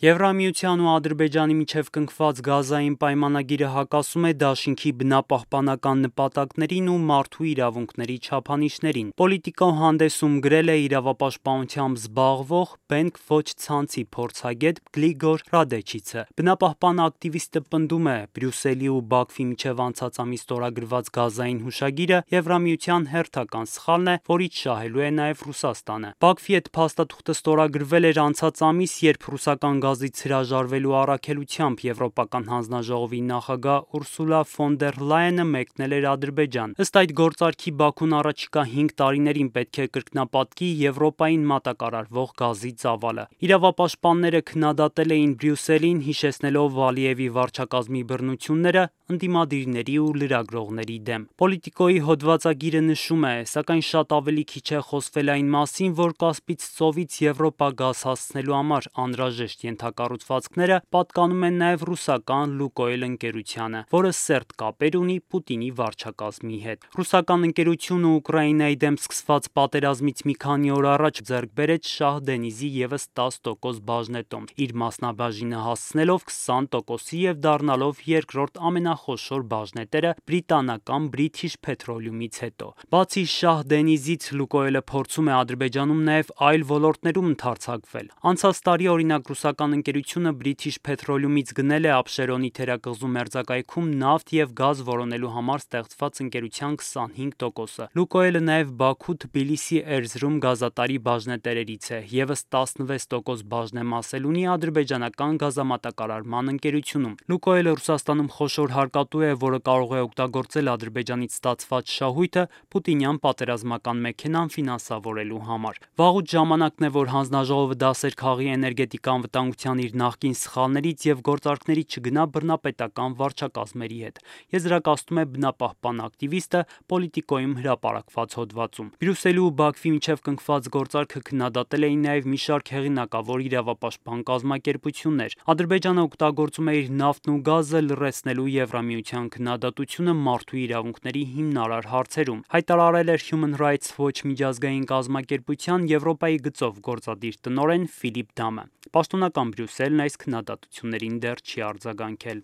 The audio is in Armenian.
Եվրամիության ու Ադրբեջանի միջև կնքված գազային պայմանագիրը հակասում է դաշինքի բնապահպանական նպատակներին ու մարդու իրավունքների չափանիշներին։ Պոլիտիկո հանդեսում գրել է իրավապաշտպանությամբ զբաղվող Բենք ոչ ցանցի փորձագետ Գլիգոր Ռադեչիցը։ Բնապահպան ակտիվիստը պնդում է, Բրյուսելի ու Բաքվի միջև անցած ամիս ստորագրված գազային հուշագիրը Եվրամիության հերթական սխալն է, որից շահելու է նաև Ռուսաստանը։ Բաքվի հետ փաստաթուղթը ստորագրվել էր անցած ամիս, երբ ռուսական գազից հրաժարվելու առաքելությամբ Եվրոպական հանձնաժողովի նախագահ Ուրսուլա ֆոն դեր Լայենը մեկնել էր Ադրբեջան։ Ըստ այդ գործարքի Բաքուն առաջիկա 5 տարիներին պետք է կրկնապատկի Եվրոպային մատակարարվող գազի ծավալը։ Իրավապաշտպանները քննադատել էին Բրյուսելին, հիշեցնելով Ալիևի վարչակազմի բռնությունները ընդդիմադիրների ու լրագրողների դեմ։ Պոլիտիկոյի հոդվածագիրը նշում է, սակայն շատ ավելի քիչ է խոսվել այն մասին, որ Կասպից ծովից Եվրոպա գազ հասցնելու համար անհրաժեշտ ենթակառուցվածքները պատկանում են նաև ռուսական Լուկոյլ ընկերությանը, որը սերտ կապեր ունի Պուտինի վարչակազմի հետ։ Ռուսական ընկերությունը Ուկրաինայի դեմ սկսված պատերազմից մի քանի օր առաջ ձեռք բերեց Շահ Դենիզի ևս 10% բաժնետոմ, իր մասնաբաժինը հասցնելով 20%-ի եւ դառնալով երկրորդ ամենախոշոր բաժնետերը բրիտանական British Petroleum-ից հետո։ Բացի Շահ Դենիզից, Լուկոյլը փորձում է Ադրբեջանում նաև այլ ոլորտներում ընդարձակվել։ Անցած տարի, օրինակ, ռուսական ընկերությունը British Petroleum-ից գնել է Աբշերոնի թերակղզու մերձակայքում նավթ եւ գազ որոնելու համար ստեղծված ընկերության 25%-ը։ Լուկոյլը նաև Բաքու, Թբիլիսի, Էրզրում գազատարի բաժնետերերից է, ևս 16% բաժնեմասել ունի ադրբեջանական գազամատակարարման ընկերությունում։ Լուկոյլը Ռուսաստանում խոշոր հարկատու է, որը կարող է օգտագործել Ադրբեջանից ստացված շահույթը Պուտինյան պատերազմական մեքենան ֆինանսավորելու համար։ Վաղուց ժամանակն է, որ հանձնաժողովը դասեր քաղի էներգետիկա անվտանգության իր նախկին սխալներից եւ գործարքների չգնա բռնապետական վարչակազմերի հետ, եզրակացնում է բնապահպան ակտիվիստը Պոլիտիկոյում հրապարակված հոդվածում։ Բրյուսելի ու Բաքվի միջև կնքված գործարքը քննադատել էին նաև մի շարք հեղինակավոր իրավապաշտպան կազմակերպություններ։ Ադրբեջանը օգտագործում է իր նավթն ու գազը լրացնելու Եվրամիության քննադատությունը մարդու իրավունքների հիմնարար հարցերում, հայտարարել էր Human Rights Watch միջազգային կազմակերպության Եվրոպայի գծով գործադիր տնօրեն Ֆիլիպ Դամը։ Պաշտոնական Բրյուսելն այս քննադատություններին դեռ չի արձագանքել։